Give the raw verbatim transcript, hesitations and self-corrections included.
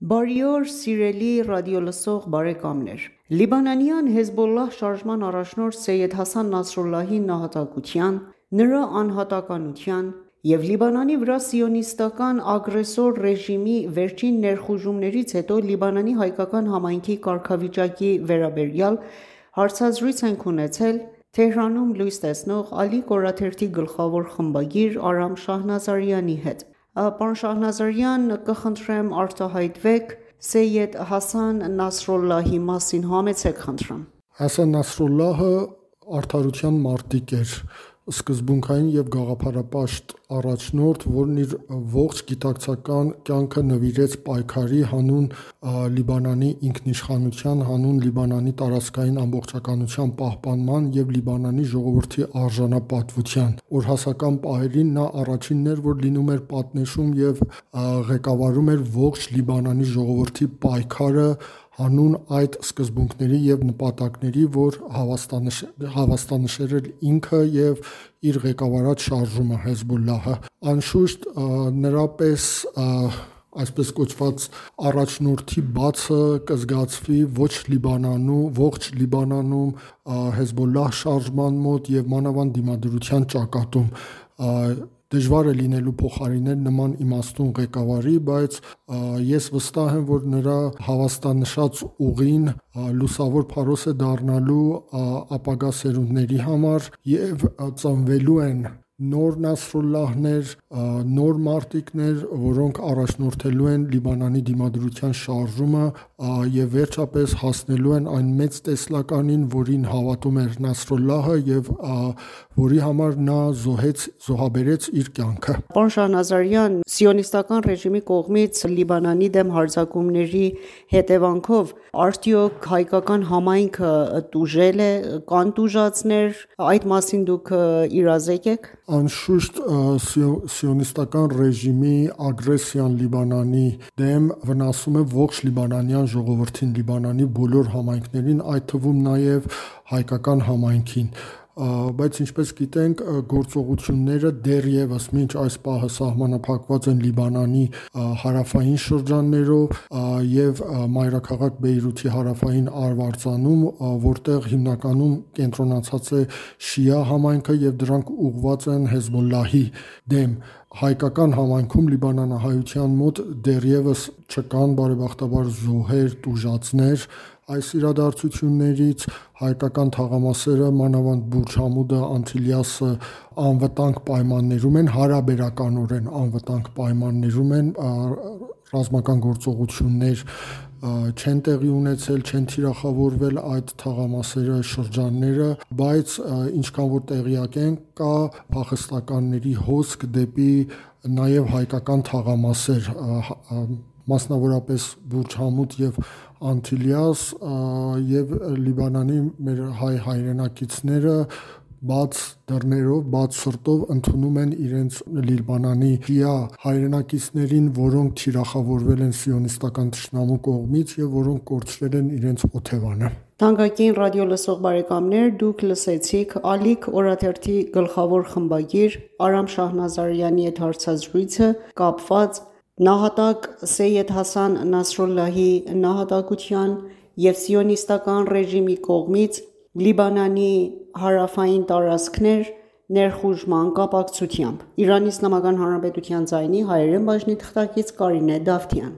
Բարի օր սիրելի ռադիոլսող բարեկամներ: Լիբանանյան Հեզբոլլահ շարժման առաջնորդ Սեյյեդ Հասան Նասրալլահի նահատակության, նրա անհատականության և Լիբանանի վրա սիոնիստական ագրեսոր ռեժիմի վերջին ներխուժումներից հետո Լիբանանի հայկական համայնքի կարգավիճակի վերաբերյալ հարցազրույց ենք ունեցել Թեհրանում լույս տեսնող Ալիք օրաթերթի գլխավոր խմբագիր Արամ Շահնազարյանի հետ: Պարոն Շահնազարյան, կխնդրեմ արտահայտվեք Սեյյեդ Հասան Նասրալլահի մասին: Համեցեք խնդրեմ: Հասան Նասրալլահը արդարության մարտիկ էր, սկզբունքային և գաղափարապաշտ առաջնորդ, որն իր ողջ գիտակցական կյանքը նվիրեց պայքարի, հանուն Լիբանանի ինքնիշխանության, հանուն Լիբանանի տարածքային ամբողջականության պահպանման և Լիբանանի ժողովրդի արժանապատվության: Օրհասական պահերին նա առաջինն էր, որ լինում էր պատնեշում և ղեկավարում էր ողջ Լիբանանի ժողովրդի պայքարը հանուն այդ սկզբունքների և նպատակների, որ հավաստանշել էր ինքը և իր ղեկավարած շարժումը՝ Հեզբոլլահը: Անշուշտ, նրա պես այսպես կոչված առաջնորդի բացը կզգացվի ողջ Լիբանանում, Հեզբոլլահ շարժման մոտ և մանավանդ դիմադրության ճակատում: Դժվար է լինելու փոխարինել նման իմաստուն ղեկավարի, բայց ես վստահ եմ, որ նրա հավաստանշած ուղին լուսավոր փարոս է դառնալու ապագա սերունդների համար և ծնվելու են նոր Նասրալլահներ, նոր մարտիկներ, որոնք առաջնորդելու են Լիբանանի դիմադրության շարժումը և վերջապես հասնելու են այն մեծ տեսլականին, որին հավատում էր Նասրալլահը և որի համար նա զոհաբերեց իր կյանքը: Պարոն Շահնազարյան, սիոնիստական ռեժիմի կողմից Լիբանանի դեմ հարձակումների հետևանքով արդյոք հայկական համայնքը տուժել է, կան տուժածներ, այդ մասին դուք իրազեկ եք: Անշուշտ, սիոնիստական ռեժիմի ագրեսիան Լիբանանի դեմ վնասում է ողջ լիբանանյան ժողովրդին, Լիբանանի բոլոր համայնքներին, այդ թվում նաև հայկական համայնքին: Բայց ինչպես գիտենք, գործողությունները դեռևս մինչ այս պահը սահմանափակված են Լիբանանի հարավային շրջաններով և մայրաքաղաք Բեյրութի հարավային արվարձանում, որտեղ հիմնականում կենտրոնացած է շիա համայնքը և դրանք ուղղված են Հեզբոլլահի դեմ: Հայկական համայնքում, լիբանանահայության մոտ դեռևս չկան բարեբախտաբար զոհեր, տուժածներ այս իրադարձություններից: Հայկական թաղամասերը, մանավանդ Բուրջ Համուդը, Անթիլիասը անվտանգ պայմաններում են, հարաբերականորեն անվտանգ պայմաններում են, ռազմական գործողություններ չեն տեղի ունեցել, չեն թիրախավորվել այդ թաղամասերը, շրջանները, բայց ինչքան որ տեղյակ ենք, կա փախստականների հոսք դեպի նաև հայկական թաղամասեր, մասնավորապես Բուրջ Համուդ և Անթիլիաս, և Լիբանանի մեր հայ հայրենակիցները բաց դռներով, բաց սրտով ընդունում են իրենց Լիբանանի շիա հայրենակիցներին, որոնք թիրախավորվել են սիոնիստական թշնամու կողմից և որոնք կորցրել են իրենց օթևանը: Թանկագին ռադիոլսող բարեկամներ, դուք լսեցիք Ալիք օրաթերթի գլխավոր խմբագիր Արամ Շահնազարյանի հետ հարցազրույցը՝ կապված նահատակ Սեյյեդ Հասան Նասրալլահի նահատակության և սիոնիստական ռեժիմի կողմից Լիբանանի հարավային տարածքներ ներխուժման կապակցությամբ: ԻԻՀ ձայնի հայերեն բաժնի թղթակից Կարինե Դավթյան: